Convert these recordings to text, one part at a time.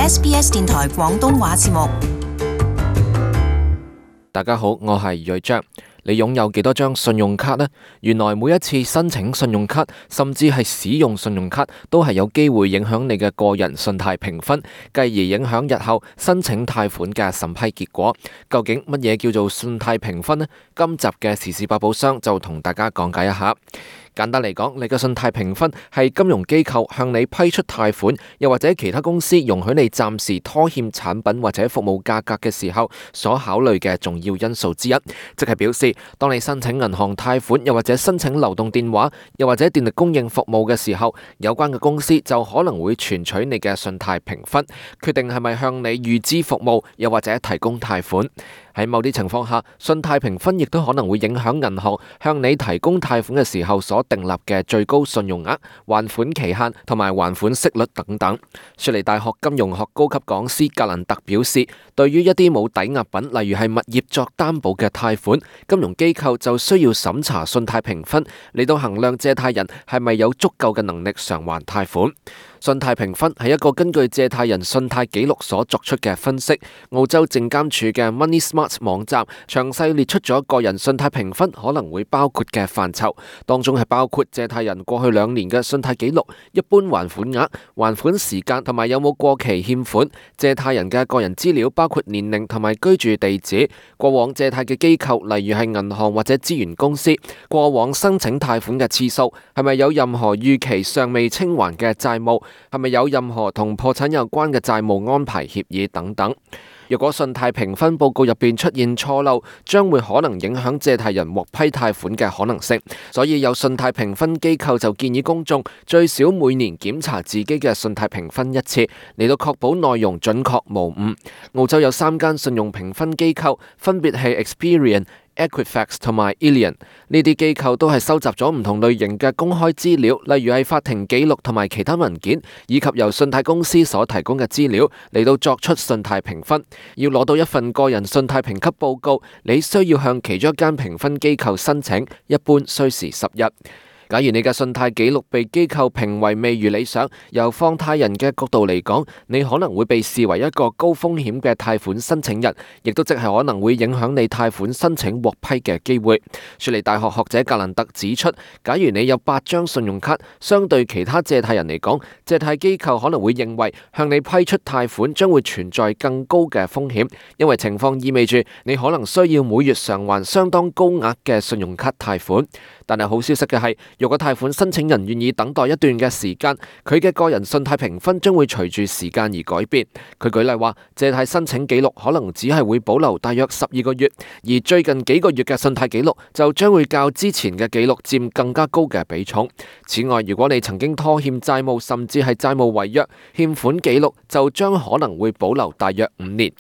SBS 電台廣東話節目。大家好，我係瑞章。你擁有幾多張信用卡呢？原來每一次申請信用卡，甚至係使用信用卡，都係有機會影響你嘅個人信貸評分，繼而影響日後申請貸款嘅審批結果。究竟乜嘢叫做信貸評分呢？今集嘅時事百寶箱就同大家講解一下。簡單嚟講，你嘅信貸評分係金融機構向你批出貸款，又或者其他公司容許你暫時拖欠產品或者服務價格嘅時候所考慮嘅重要因素之一。即係表示，當你申請銀行貸款，又或者申請流動電話，又或者電力供應服務嘅時候，有關嘅公司就可能會存取你嘅信貸評分，決定係咪向你預支服務，又或者提供貸款。喺某啲情況下，信貸評分亦都可能會影響銀行向你提供貸款嘅時候所訂立嘅最高信用額、還款期限同埋還款息率等等。雪梨大學金融學高級講師格蘭特表示，對於一啲冇抵押品，例如係物業作擔保嘅貸款，金融機構就需要審查信貸評分，嚟到衡量借貸人係咪有足夠嘅能力償還貸款。信貸評分係一個根據借貸人信貸記錄所作出嘅分析。澳洲證監處嘅 Money Smart 網站詳細列出咗個人信貸評分可能會包括嘅範疇，當中係包括借貸人過去2年嘅信貸記錄、一般還款額、還款時間同埋有冇過期欠款、借貸人嘅個人資料包括年齡同埋居住地址、過往借貸嘅機構例如係銀行或者資源公司、過往申請貸款嘅次數、係咪有任何逾期尚未清還嘅債務、係咪有任何同破產有關嘅債務安排協議等等。若果信貸評分報告入邊出現錯漏，將會可能影響借貸人獲批貸款嘅可能性。所以有信貸評分機構就建議公眾最少每年檢查自己嘅信貸評分一次，嚟到確保內容準確無誤。澳洲有3間信用評分機構，分別係 Experian、Equifax 同埋 Illion， 呢啲機構都係收集咗唔同類型嘅公開資料，例如係法庭記錄同埋其他文件，以及由信貸公司所提供嘅資料嚟到作出信貸評分。要攞到一份個人信貸評級報告，你需要向其中一間評分機構申請，一般需時10日。假如你嘅信貸記錄被機構評為未如理想，由放貸人嘅角度嚟講，你可能會被視為一個高風險嘅貸款申請人，亦都即係可能會影響你貸款申請獲批嘅機會。雪梨大學學者格蘭特指出，假如你有8張信用卡，相對其他借貸人嚟講，借貸機構可能會認為向你批出貸款將會存在更高嘅風險，因為情況意味住你可能需要每月償還相當高額嘅信用卡貸款。但係好消息嘅係，如果貸款申請人願意等待一段嘅時間，佢嘅個人信貸評分將會隨住時間而改變。佢舉例話，借貸申請記錄可能只係會保留大約12個月，而最近幾個月嘅信貸記錄就將會較之前嘅記錄佔更加高嘅比重。此外，如果你曾經拖欠債務，甚至係債務違約，欠款記錄就將可能會保留大約5年。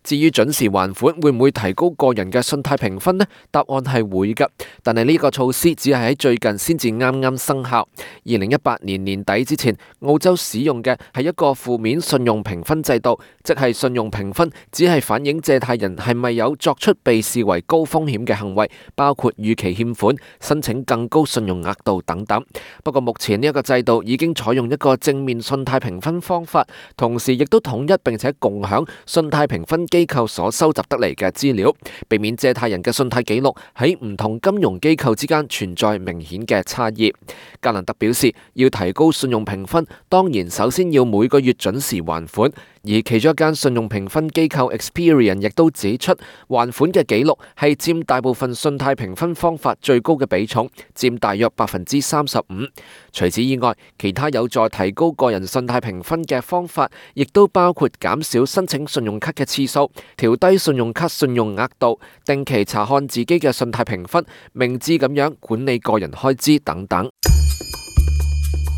至於準時還款會唔會提高個人嘅信貸評分呢？答案係會㗎，但係呢個措施只係喺最近先至啱啱生效。2018年年底之前，澳洲使用嘅係一個負面信用評分制度，即係信用評分只係反映借貸人係咪有作出被視為高風險嘅行為，包括逾期欠款、申請更高信用額度等等。不過目前呢一個制度已經採用一個正面信貸評分方法，同時亦都統一並且共享信貸評分機構所收集得嚟嘅資料，避免借貸人嘅信貸記錄喺唔同金融機構之間存在明顯嘅差異。格蘭特表示，要提高信用評分，當然首先要每個月準時還款。而其中一間信用評分機構 Experian 亦都指出，還款嘅記錄係佔大部分信貸評分方法最高嘅比重，佔大約35%。除此以外，其他有助提高個人信貸評分嘅方法，亦都包括減少申請信用卡嘅次數、調低信用卡信用額度、定期查看自己嘅信貸評分、明智咁樣管理個人開支等等。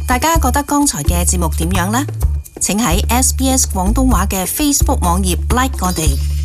大家覺得剛才嘅節目點樣呢？請喺 SBS 廣東話嘅 Facebook 網頁 like 我哋。